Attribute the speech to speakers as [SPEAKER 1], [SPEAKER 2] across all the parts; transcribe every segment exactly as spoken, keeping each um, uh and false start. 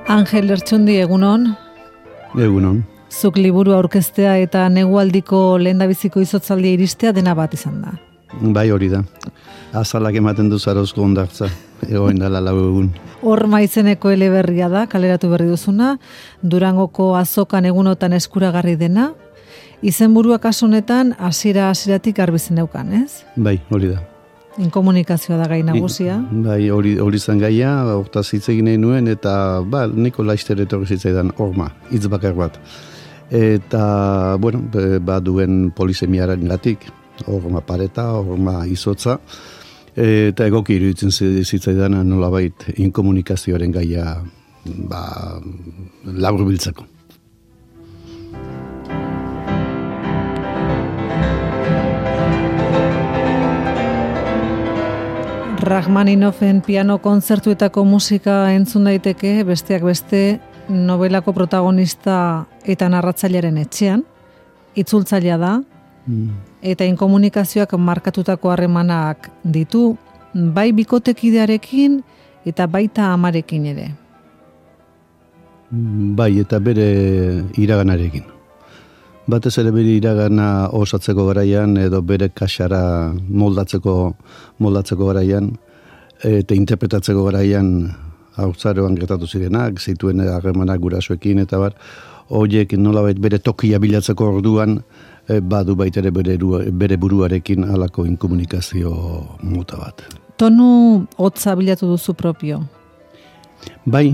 [SPEAKER 1] Angel Lertxundi, egunon?
[SPEAKER 2] Egunon.
[SPEAKER 1] Zuk liburu aurkeztea eta negualdiko lehendabiziko izotzaldia iristea dena bat izan da.
[SPEAKER 2] Bai, hori da. Azalak ematen du zarozko ondartza, egoen dala lau egun.
[SPEAKER 1] Horma izeneko eleberria da, kaleratu berri duzuna, Durangoko azokan egunotan eskuragarri dena, izenburua kasu honetan hasiera hasieratik garbi zeneukan, ez?
[SPEAKER 2] Bai, hori da.
[SPEAKER 1] Inkomunikazioa da gai nagusia.
[SPEAKER 2] I, bai, hori hori zen gaia, hortaz hitz egin nahi nuen, eta ba, niko laizter etorri zitzaidan horma, hitz bakar bat. Eta, bueno, ba duen polisemiaren gatik, horma pareta, horma izotza, eta egoki iruditzen zitzaidan nolabait inkomunikazioaren gaia ba, labur biltzeko.
[SPEAKER 1] Rachmaninoffen piano kontzertuetako musika entzun daiteke, besteak beste novelako protagonista eta narratzailearen etxean, itzultzailea da, mm. eta inkomunikazioak markatutako harremanak ditu, bai bikotekidearekin eta baita amarekin ere.
[SPEAKER 2] Bai, eta bere iraganarekin. Batez ere bere iragana osatzeko garaian edo bere kasara moldatzeko moldatzeko garaian eta interpretatzeko garaian haurtzaroan gertatu zirenak, zituen harremanak gurasoekin eta bar, horiek nolabait bere tokia bilatzeko orduan e, badu baita ere bere, bere buruarekin halako inkomunikazio mota bat.
[SPEAKER 1] Tonu hotza bilatu duzu propio?
[SPEAKER 2] Bai,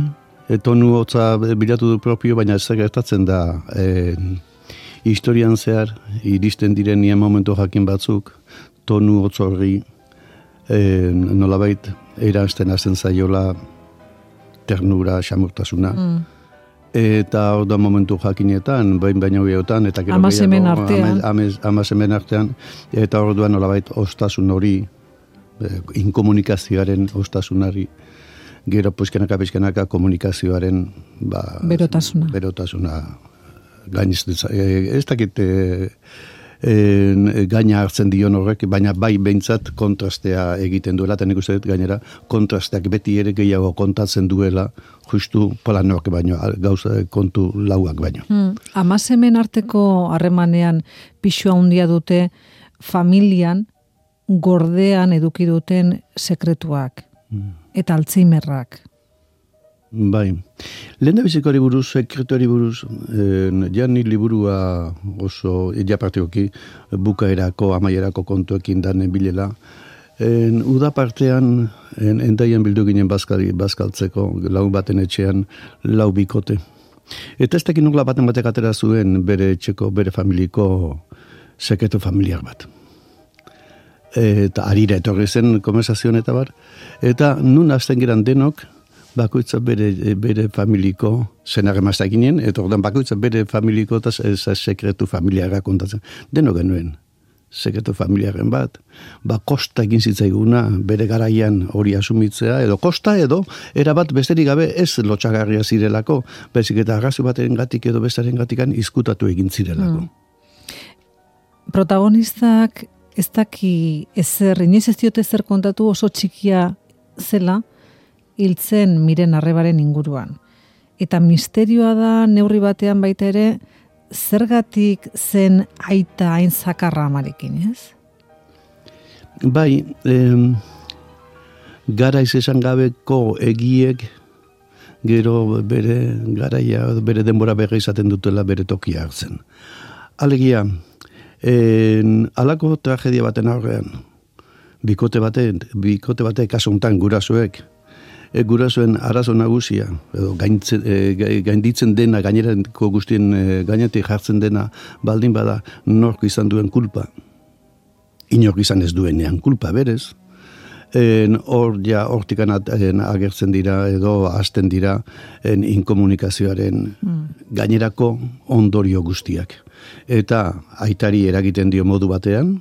[SPEAKER 2] e, tonu hotza bilatu du propio, baina ez gertatzen da e, historian zehar, iristen diren nien momentu jakin batzuk, tonu hotzorri e, nolabait eransten hasten zaiola ternura, xamurtasuna. Mm. Eta hor da momentu jakinetan, bain baina horietan, eta gero
[SPEAKER 1] amasemen artean.
[SPEAKER 2] Amasemen artean, eta hor duan nolabait ostasun hori, e, inkomunikazioaren ostasunari, gero puzkenaka, pizkenaka komunikazioaren ba,
[SPEAKER 1] berotasuna.
[SPEAKER 2] berotasuna gainez, ez dakit e, e, gaina hartzen dion horrek, baina bai behintzat kontrastea egiten duela, eta nik uste dut gainera kontrasteak beti ere gehiago kontatzen duela, justu planoak baino, gauza kontu lauak baino.
[SPEAKER 1] Hmm. Amasemen arteko harremanean pixua handia dute familian gordean eduki duten sekretuak hmm. eta altzheimerrak.
[SPEAKER 2] Bai. Lehen da bizikari buruz, sekretuari buruz, eh, ja ni liburua oso, ja partioki, bukaerako, amaierako kontuekin danen bilela. En, uda partean, en, endaian bildu ginen bazkali, bazkaltzeko, lau baten etxean, lau bikote. Eta ez tekin nukla baten batek atera zuen bere etxeko, bere familiko sekretu familiar bat. Eta arira etorri zen konversazioan eta bar. Eta nun hasten geran denok, bakoitza bere, bere familiko zenar emazta ginen, eta ordan bakoitza bere familiko eta sekretu familiara kontatzen. Deno genuen, sekretu familiaren bat, ba kosta egin zitzaiguna bere garaian hori asumitzea, edo kosta edo, erabat besterik gabe ez lotxagarria zirelako, bezik eta arrazu baten gatik edo bestaren gatikan izkutatu egin zirelako.
[SPEAKER 1] Hmm. Protagonistak ez daki ezer, inoiz ez diote zer kontatu oso txikia zela, hiltzen Miren Arrebaren inguruan. Eta misterioa da neurri batean baita ere, zergatik zen aita hain zakarra amarekin, ez?
[SPEAKER 2] Bai, eh, garaiz esan gabeko egiek, gero bere garaia, bere denbora berri izaten dutela bere tokia hartzen. Alegia, eh, alako tragedia baten aurrean, bikote bate, bikote bate kasu hontan gurasoek, E, gurasoen arazo nagusia, edo gaintzen, e, gainditzen dena, gainerako guztien e, gainetik jartzen dena, baldin bada nork izan duen kulpa. Inork izan ez duenean kulpa, berez. En, hor ja, hortikan agertzen dira, edo hasten dira, en, inkomunikazioaren mm. gainerako ondorio guztiak. Eta aitari eragiten dio modu batean.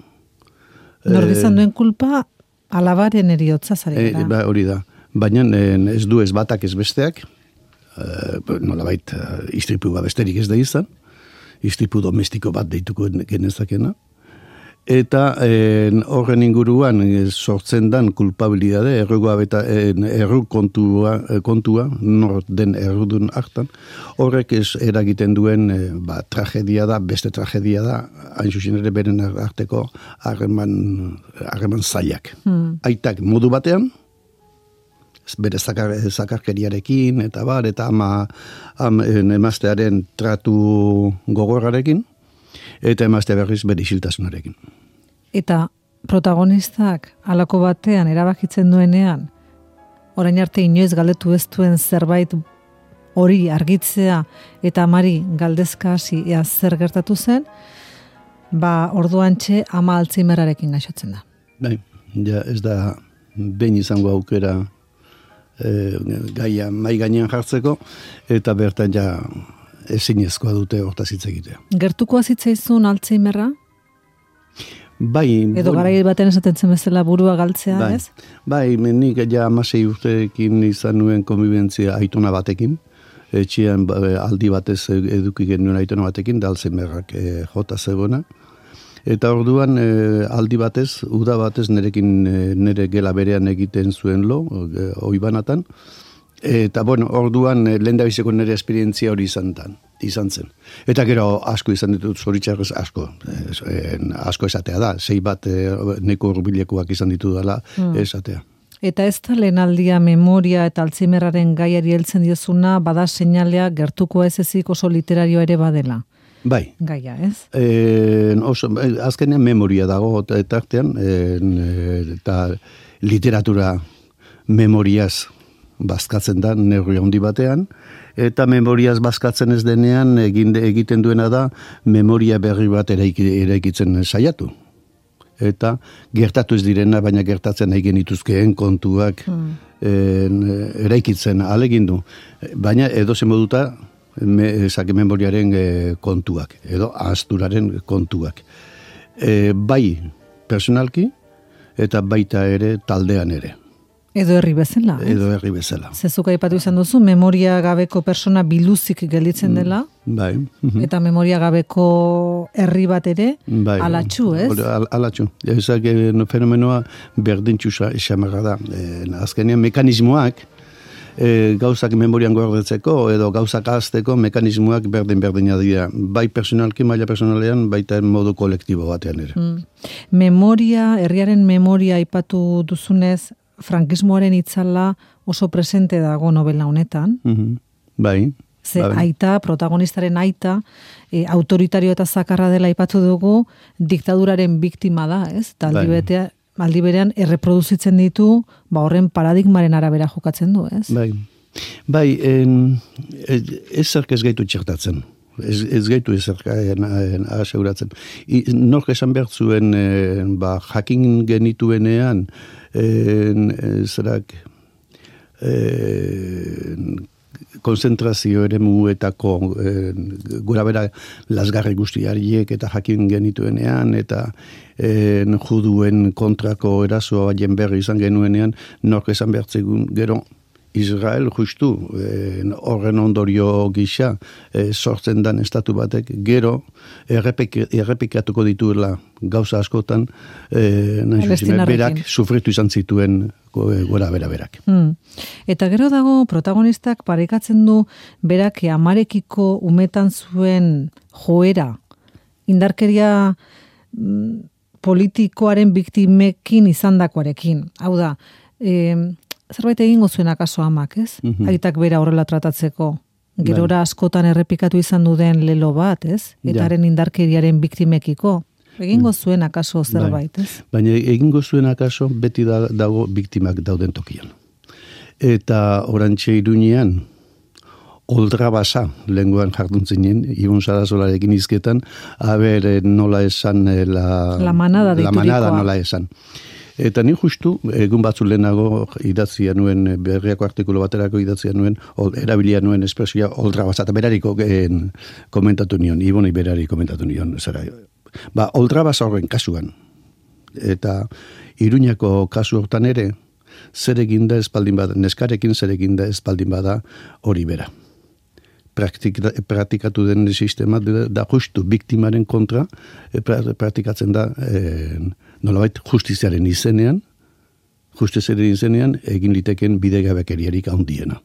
[SPEAKER 1] Nork izan duen kulpa, alabaren eriotza zarela.
[SPEAKER 2] E, ba, hori da. Baina ez du ez batak ez besteak, e, nolabait istripu besterik ez da izan, istripu domestiko bat deituko genezakena, Eta en, horren inguruan e, sortzen dan kulpabilidade, errua beta erru kontua, kontua, nor den errudun hartan, horrek ez eragiten duen e, ba, tragedia da, beste tragedia da, hain zuzen ere beren arteko harreman harreman zailak. Hmm. Aitak modu batean, bere zakar, zakarkeriarekin, eta bar, eta ama, am, emaztearen tratu gogorrarekin, eta emazte berriz bere isiltasunarekin.
[SPEAKER 1] Eta protagonistak halako batean erabakitzen duenean, orain arte inoiz galdetu ez duen zerbait hori argitzea eta amari galdezka hasi ea zer gertatu zen, ba orduantxe ama Alzheimerarekin gaixotzen da.
[SPEAKER 2] Bai, ja ez da behin izango aukera e, gaia mai gainean jartzeko, eta bertan ja ezinezkoa dute hortaz hitz egitea.
[SPEAKER 1] Gertukoa zitzaizun Alzheimerra?
[SPEAKER 2] Bai,
[SPEAKER 1] edo garai baten esaten zen bezala burua galtzea,
[SPEAKER 2] bai,
[SPEAKER 1] ez?
[SPEAKER 2] Bai, nik ja hamasei urteekin izan nuen konbibentzia aitona batekin, etxean aldi batez eduki genuen aitona batekin, da Alzheimerrak e, jota zegoena. Eta orduan e, aldi batez, uda batez nerekin e, nere gela berean egiten zuen lo, e, oibanatan. Eta, bueno, orduan lehendabiziko nire esperientzia hori izan, dan, izan zen. Eta gero asko izan ditut, zoritxarrez asko. En, asko esatea da, sei bat e, neko urbilekoak izan ditu dela hmm. esatea.
[SPEAKER 1] Eta ez da lehenaldia memoria eta Alzheimerraren gaiari heltzen diozuna, bada seinalea gertukoa ez ezik oso literario ere badela.
[SPEAKER 2] Bai.
[SPEAKER 1] Gaia, ez?
[SPEAKER 2] E, oso, azkenean memoria dago eta artean, eta literatura memoriaz bazkatzen da neurri handi batean, eta memoriaz bazkatzen ez denean egin, egiten duena da memoria berri bat eraikitzen saiatu. Eta gertatu ez direna, baina gertatzen nahi genituzkeen kontuak hmm. en, eraikitzen alegindu. Baina edozen moduta me, zake memoriaren e, kontuak, edo ahazturaren kontuak. E, bai personalki eta baita ere taldean ere.
[SPEAKER 1] Edo herri bezala.
[SPEAKER 2] Edo herri bezala.
[SPEAKER 1] Zezuk aipatu izan duzu, memoria gabeko persona biluzik gelditzen dela.
[SPEAKER 2] Bai.
[SPEAKER 1] Eta memoria gabeko herri bat ere, bai. Alatxu, ez?
[SPEAKER 2] Al, alatxu. Ezak fenomenoa berdintxu xamarra da. E, azkenean mekanismoak, e, gauzak memorian gordetzeko, edo gauzak ahazteko mekanismoak berdin-berdina dira. Bai personalki, maila personalean, baita modu kolektibo batean ere. Mm.
[SPEAKER 1] Memoria, herriaren memoria aipatu duzunez, frankismoaren itzala oso presente dago novela honetan. Mm-hmm. Bai. Ze bai. Aita, protagonistaren aita, e, autoritario eta zakarra dela aipatu dugu, diktaduraren biktima da, ez? Taldi bai. betea, aldi berean erreproduzitzen ditu, ba horren paradigmaren arabera jokatzen du, ez?
[SPEAKER 2] Bai. Bai, en, ez zerk ez gaitu txertatzen. Ez, ez gaitu ez zerk aseuratzen. Nork esan behar zuen, en, ba, jakin genituenean, En, zerak en, konzentrazio ere muetako gura bera lasgarri guztiariek eta jakin genituenean eta en, juduen kontrako erasoa baien berri izan genuenean nork esan behartzegun gero Israel justu horren ondorio gisa e, sortzen dan estatu batek gero errepik, errepikatuko dituela gauza askotan e, berak sufritu izan zituen gora bera berak.
[SPEAKER 1] Hmm. Eta gero dago protagonistak parekatzen du berak amarekiko umetan zuen joera, indarkeria mm, politikoaren biktimekin izandakoarekin. Hau da, e, zerbait egingo zuen akaso amak, ez? Mm-hmm. Aitak bera horrela tratatzeko. Gerora askotan errepikatu izan duden lelo bat, ez? Etaren ja. Indarkeriaren biktimekiko. Egingo zuen akaso zerbait, ez?
[SPEAKER 2] Baina egingo zuen akaso beti da, dago biktimak dauden tokian. Eta orantxe Iruñean, oldra basa, lenguan jarduntzinen, Ibon Sarazolarekin izketan, haber nola esan, la,
[SPEAKER 1] la manada
[SPEAKER 2] la manada nola esan. Eta ni justu, egun batzu lehenago idatzia nuen, berriako artikulu baterako idatzia nuen, ol, erabilia nuen espresioa oldra basa, eta berariko en, komentatu nion, Iboni berari komentatu nion, zera. Ba, oldra basa horren kasuan. Eta Iruñako kasu hortan ere, zer eginda espaldin bada, neskarekin zer eginda espaldin bada hori bera. praktika, praktikatu den sistema da, da justu biktimaren kontra e, praktikatzen da e, nolabait justiziaren izenean, justiziaren izenean egin liteken bidegabekeriarik handiena.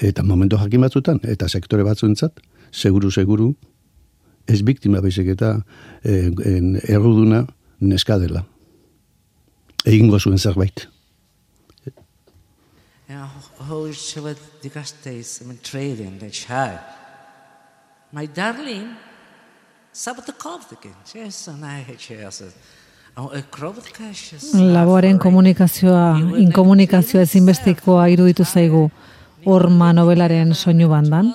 [SPEAKER 2] Eta momentu jakin batzutan, eta sektore batzuentzat, seguru, seguru, ez biktima baizik eta e, en, erruduna neska dela. Egingo zuen zerbait.
[SPEAKER 3] Ja, hoe is het dikastes met trading dat jij? My darling, sabat de koptekin. Yes, I hate
[SPEAKER 1] Laboaren komunikazioa, inkomunikazioa ezinbestekoa iruditu zaigu Horma nobelaren soinu bandan.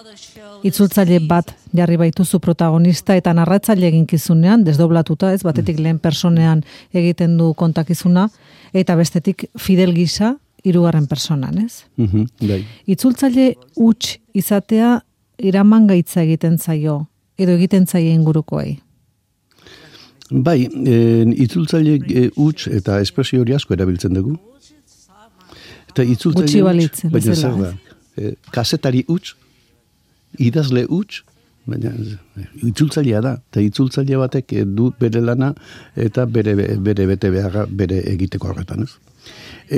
[SPEAKER 1] Itzultzaile bat jarri baituzu protagonista eta narratzaile eginkizunean, desdoblatuta, ez batetik lehen personean egiten du kontakizuna, eta bestetik Fidel gisa hirugarren personan, ez?
[SPEAKER 2] Mhm, bai.
[SPEAKER 1] Itzultzaile huts izatea iraman gaitza egiten zaio, edo egiten zaie ingurukoei.
[SPEAKER 2] Bai, e, itzultzaile huts e, eta espresio hori asko erabiltzen dugu. Eta itzultzaile huts, baina zer da, e, kasetari huts, idazle huts, baina itzultzailea da, eta itzultzaile batek du bere lana eta bere, bere bete beharra bere egiteko horretan, ez?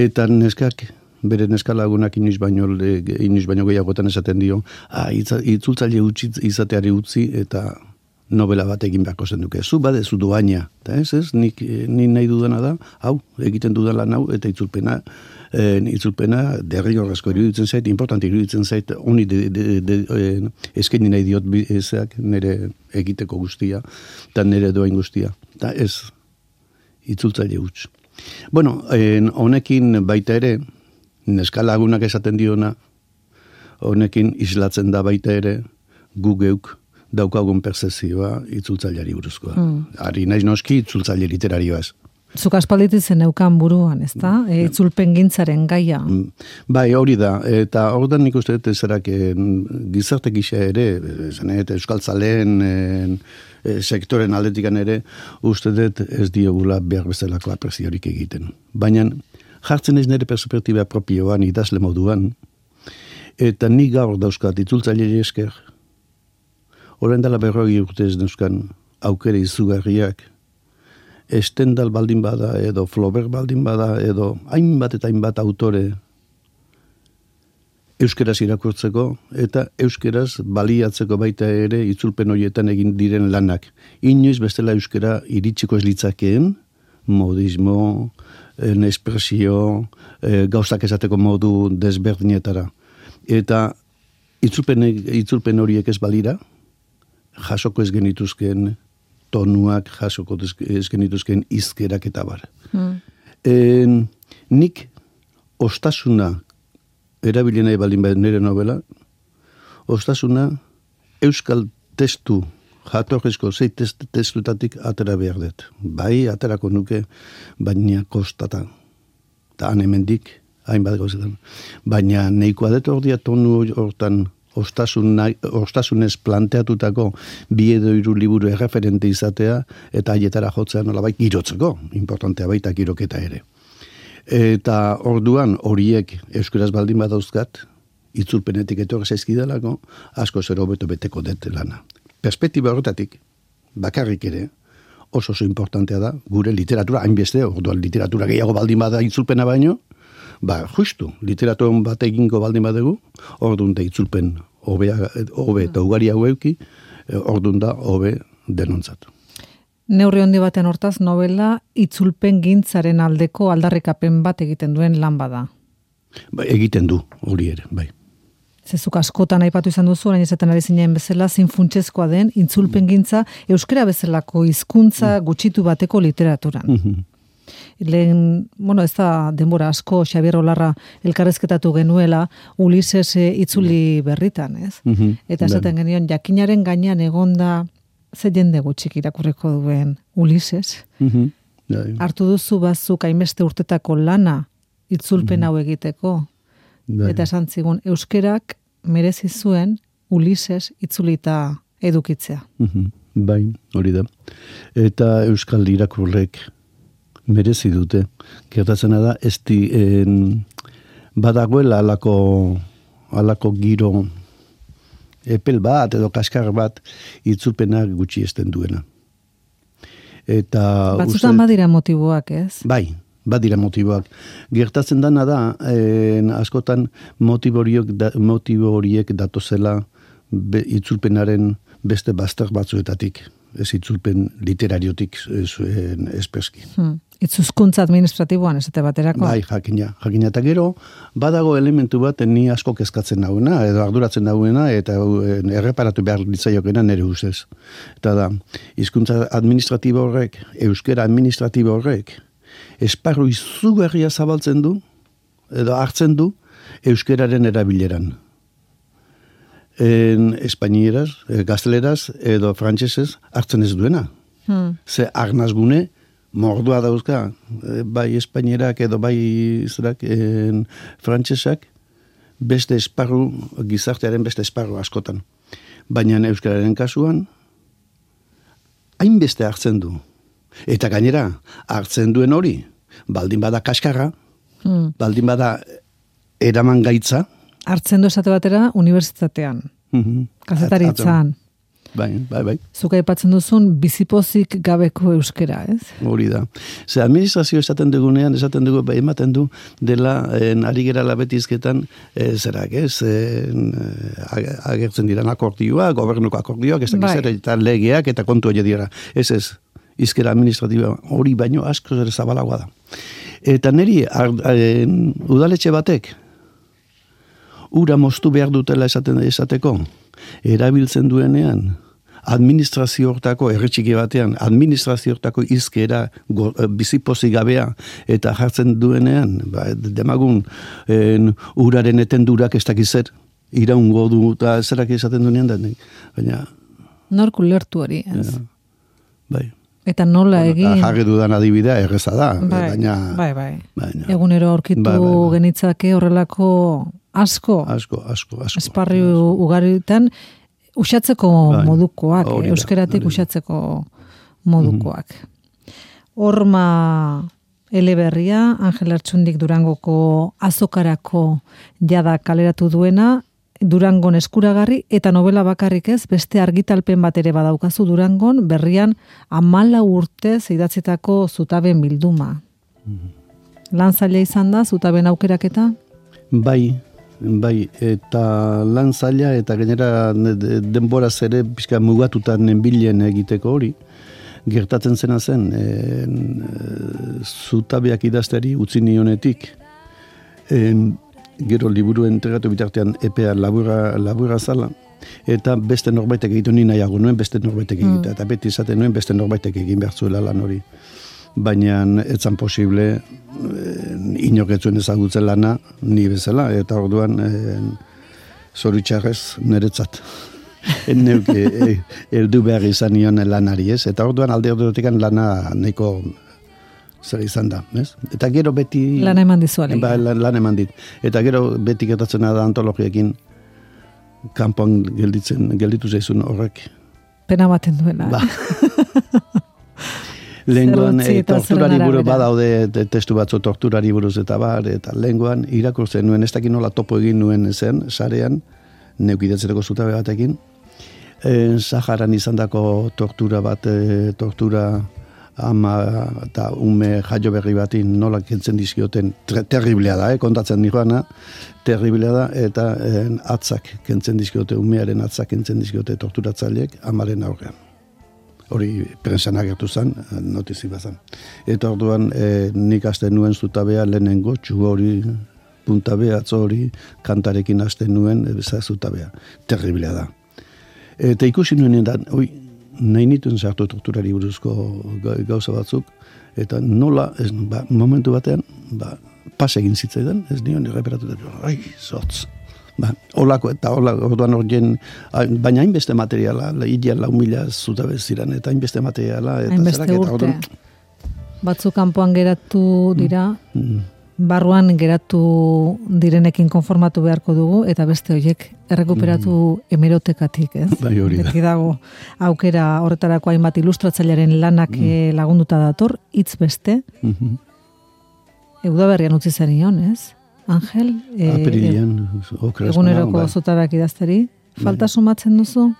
[SPEAKER 2] Eta neskak, bere neskalagunak inoiz baino, inoiz baino gehiagotan esaten dio, ah, itzultzaile huts izateari utzi eta novela bat egin beharko zen duke. Zu badezu doaina, eta ez, ez, nik, ni nahi dudana da, hau, egiten dudan lan hau, eta itzulpena, e, itzulpena derrigorrezko iruditzen zait, importante iruditzen zait, honi de, de, de, de, eskaini nahi diot ezak nire egiteko guztia, eta nire doain guztia. Eta ez, itzultzaile huts. Bueno, en, honekin baita ere, neskalagunak esaten diona, honekin islatzen da baita ere, gu geuk, daukagun perzezioa itzultzaileari buruzkoa. Mm. Ari naiz noski itzultzaile literarioaz.
[SPEAKER 1] Zuk aspalditzen neukan buruan, ezta? E, itzulpen gintzaren gaia.
[SPEAKER 2] Bai, hori da. Eta ordan nik uste dut zerak gizarte gisa ere, zanet, euskaltzaleen e, sektoren aldetikan ere, uste dut ez diogula behar bezalako apreziorik egiten. Baina jartzen ez nire perspektiba propioan idazle moduan, eta nik gaur dauzkat itzultzaileari esker, Horren dela berroi urtez neuzkan aukere izugarriak, Stendhal baldin bada, edo Flaubert baldin bada, edo hainbat eta hainbat autore euskeraz irakurtzeko, eta euskeraz baliatzeko baita ere itzulpen horietan egin diren lanak. Inoiz bestela euskera iritsiko ez litzakeen, modismo, en espresio, e, gauzak esateko modu desberdinetara. Eta itzulpen, itzulpen horiek ez balira, jasoko ez genituzken tonuak, jasoko ez genituzken izkerak eta bar. Mm. En, nik ostasuna erabilien nahi baldin behar nire novela, ostasuna euskal testu, jatorrezko zei test, testutatik atera behar dut. Bai, aterako nuke, baina kostata. Eta han hemendik, hainbat gauzetan. Baina neikoa dut ordia tonu hortan Ostasun, ostasunez planteatutako bi edo hiru liburu erreferente izatea eta haietara jotzea nolabait girotzeko, importantea baita giroketa ere. Eta orduan horiek euskaraz baldin badauzkat, itzulpenetik etorri zaizkidalako, asko zer hobeto beteko dut lana. Perspektiba horretatik, bakarrik ere, oso oso importantea da, gure literatura, hainbeste, orduan literatura gehiago baldin bada itzulpena baino, ba, justu, literaturan bat egingo baldin badegu, orduan da itzulpen hobe eta ugari hau euki, orduan da hobe denontzatu.
[SPEAKER 1] Neurri handi baten hortaz novela itzulpen gintzaren aldeko aldarrikapen bat egiten duen lan bada.
[SPEAKER 2] Ba, egiten du, hori ere, bai.
[SPEAKER 1] Zezuk askotan aipatu izan duzu, orain esaten ari zinen bezala, zin funtsezkoa den, itzulpen gintza, euskera bezalako hizkuntza gutxitu bateko literaturan. Mm-hmm. Lehen, bueno, ez da denbora asko Xabier Olarra elkarrezketatu genuela Ulises itzuli berritan, ez? Mm-hmm. Eta esaten genion, jakinaren gainean egonda ze jende gutxik irakurriko duen Ulises. Mm-hmm. Hartu duzu bazuk hainbeste urtetako lana itzulpen hau egiteko. Mm-hmm. Eta esan zigun, euskerak merezi zuen Ulises itzulita edukitzea.
[SPEAKER 2] Mm-hmm. Bai, hori da. Eta euskal irakurlek merezi dute. Gertatzena da, ez di, en, badagoela alako, alako giro epel bat edo kaskar bat itzulpenak gutxi esten duena. Eta
[SPEAKER 1] batzutan badira motiboak, ez?
[SPEAKER 2] Bai, badira motiboak. Gertatzen dana da, eh, askotan motibo da, horiek datozela be, itzulpenaren beste bazter batzuetatik, ez itzulpen literariotik espreski.
[SPEAKER 1] Hmm. Itzuzkuntza administratiboan, esate baterako?
[SPEAKER 2] Bai, jakina, jakina. Eta gero, badago elementu bat ni asko kezkatzen nagoena, edo arduratzen nagoena, eta erreparatu behar ditzaiokena nire ustez. Eta da, hizkuntza administratibo horrek, euskera administratibo horrek, esparru izugarria zabaltzen du, edo hartzen du, euskeraren erabileran. En espainieraz, gazteleraz, edo frantsesez hartzen ez duena. Hmm. Ze arnazgune, mordua dauzka, bai espainierak edo bai zerak, en, frantsesak, beste esparru, gizartearen beste esparru askotan. Baina euskararen kasuan, hainbeste hartzen du. Eta gainera, hartzen duen hori, baldin bada kaskarra, hmm. baldin bada eraman gaitza. Hartzen
[SPEAKER 1] du esate batera unibertsitatean, mm-hmm. kazetaritzan.
[SPEAKER 2] Bai, bai, bai.
[SPEAKER 1] Zuka aipatzen duzun bizipozik gabeko euskera, ez?
[SPEAKER 2] Hori da. Ze administrazio esaten dugunean, esaten dugu, ematen du dela, en, ari gerala betizketan, e, zerak, ez? En, agertzen diran akordioa, gobernuko akordioak, ez dakiz ere, eta legeak, eta kontu hori dira. Ez ez, izkera administratiba hori baino asko ere zabalagoa da. Eta niri, ar, en, udaletxe batek, ura moztu behar dutela esaten esateko, erabiltzen duenean, administrazio hortako, erretxiki batean, administrazio hortako izkera bizipozi gabea, eta jartzen duenean, ba, demagun, en, uraren etendurak ez dakizer, iraungo du, eta zerak esaten duenean, da, baina...
[SPEAKER 1] Norku lertu hori, ez?
[SPEAKER 2] Ja, bai.
[SPEAKER 1] Eta nola bueno, egin...
[SPEAKER 2] Jarri dudan adibidea erreza da,
[SPEAKER 1] bai,
[SPEAKER 2] baina...
[SPEAKER 1] Bai, bai. Baina, egunero aurkitu bai, bai, bai. Genitzake horrelako asko,
[SPEAKER 2] asko, asko, asko.
[SPEAKER 1] Esparri ugaritan, usatzeko bai, modukoak, euskeratik usatzeko modukoak. Mm-hmm. Horma eleberria, Angel Artxundik Durangoko azokarako jada kaleratu duena, Durangon eskuragarri, eta novela bakarrik ez, beste argitalpen bat ere badaukazu Durangon, berrian amala urtez idatzitako zutaben bilduma. Mm-hmm. Lan zaila izan da, zutaben aukeraketa?
[SPEAKER 2] Bai, bai, eta lan zaila, eta gainera denboraz ere pixka mugatutan nenbilen egiteko hori, gertatzen zena zen, en, zutabeak idazteri utzi nionetik, en, gero liburu entregatu bitartean epea labura, labura zala, eta beste norbaitek egitu ni nahiago nuen, beste norbaitek egitea, mm. eta beti izaten nuen beste norbaitek egin behar zuela lan hori. Baina etzan posible, eh, inoketzuen ezagutzen lana, ni bezala, eta orduan eh, zoritxarrez niretzat. Neuke, eh, eldu behar izan nion lanari, ez? Eta orduan alde ordutekan lana nahiko zer izan da, ez? Eta gero beti...
[SPEAKER 1] Lan eman dizuale.
[SPEAKER 2] Ba, lan, lan eman dit. Eta gero beti gertatzen da antologiekin kanpoan gelditzen, gelditu zaizun horrek.
[SPEAKER 1] Pena baten duela.
[SPEAKER 2] Ba. Lengoan e, torturari buruz badaude testu batzu torturari buruz eta bar, eta lengoan irakurtzen nuen, ez dakit nola topo egin nuen zen, sarean, neukidatzereko zutabe batekin, e, Saharan izandako tortura bat, e, tortura ama eta ume jaio berri batin nola kentzen dizkioten, terriblea da, eh, kontatzen nijoana, terriblea da, eta e, atzak kentzen dizkiote, umearen atzak kentzen dizkiote torturatzaileek amaren aurrean. Hori prensan agertu zen, notizi bazan. Eta orduan e, nik hasten nuen zutabea lehenengo, txu hori, puntabea, atzo hori, kantarekin hasten nuen, eza zutabea. Terriblea da. Eta ikusi nuen da, oi, nahi nituen sartu torturari buruzko gauza batzuk, eta nola, ez, ba, momentu batean, ba, pas egin zitzaidan, ez nion erreperatu da, ai, zotz. Ba, olako eta olako, orduan horien, baina hainbeste materiala, ideal lau mila zutabe ziren, eta hainbeste materiala.
[SPEAKER 1] Hainbeste urte. Eta, orduan... Batzu kanpoan geratu dira, mm. barruan geratu direnekin konformatu beharko dugu, eta beste horiek errekuperatu mm. hemerotekatik, ez?
[SPEAKER 2] Bai, hori da.
[SPEAKER 1] Beti dago aukera horretarako hainbat ilustratzailearen lanak mm. lagunduta dator, hitz beste. Mm-hmm. Eudaberrian utzi zenion, ez? Angel,
[SPEAKER 2] e, Apirian,
[SPEAKER 1] e, eguneroko zutabeak idazteri. Falta sumatzen duzu?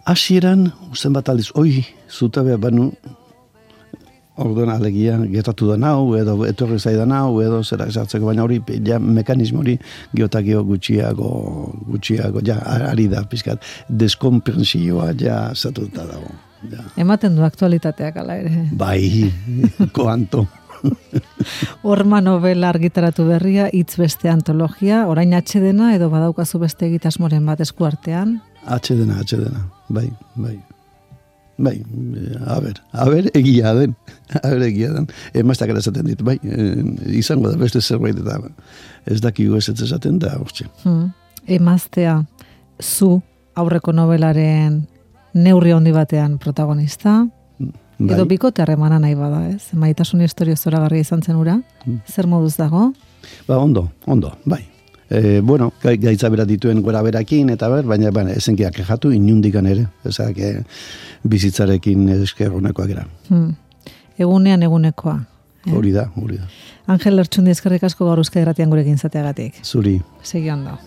[SPEAKER 2] Hasieran, usten bat aldiz, oi, zutabea banu, orduan alegia, gertatu da nau, edo etorri zaidan nau, edo zera esartzeko, baina hori, ja, mekanismo hori, geotakio gutxiago, gutxiago, ja, ari da, pizkat, deskonprensioa, ja, zatuta dago. Ja.
[SPEAKER 1] Ematen du aktualitateak ala ere.
[SPEAKER 2] Bai, koanto.
[SPEAKER 1] Horma novela argitaratu berria, hitz beste antologia, orain atxedena, edo badaukazu beste egitasmoren bat eskuartean?
[SPEAKER 2] Atxedena, atxedena, bai, bai. Bai, a ber, a ber, egia den, a ber, egia den. Emaztak erazaten dit, bai, e, izango da beste zerbait eta ez dakigu ez ez esaten da, hortxe.
[SPEAKER 1] Hmm. Emaztea, zu aurreko novelaren neurri handi batean protagonista, bai. Edo bikote harremana nahi bada, ez? Maitasun historio zoragarria izan zen ura, hmm. Zer moduz dago?
[SPEAKER 2] Ba, ondo, ondo, bai. E, bueno, gaitza bera dituen gora berakin, eta ber, baina, baina esenkiak kejatu inundikan ere, ezak, e, bizitzarekin esker honekoak era.
[SPEAKER 1] Hmm. Egunean egunekoa.
[SPEAKER 2] Eh? Hori da, hori da.
[SPEAKER 1] Angel Lertxundi eskerrik asko gaur Euskadi Irratian gurekin zateagatik.
[SPEAKER 2] Zuri.
[SPEAKER 1] Segi ondo.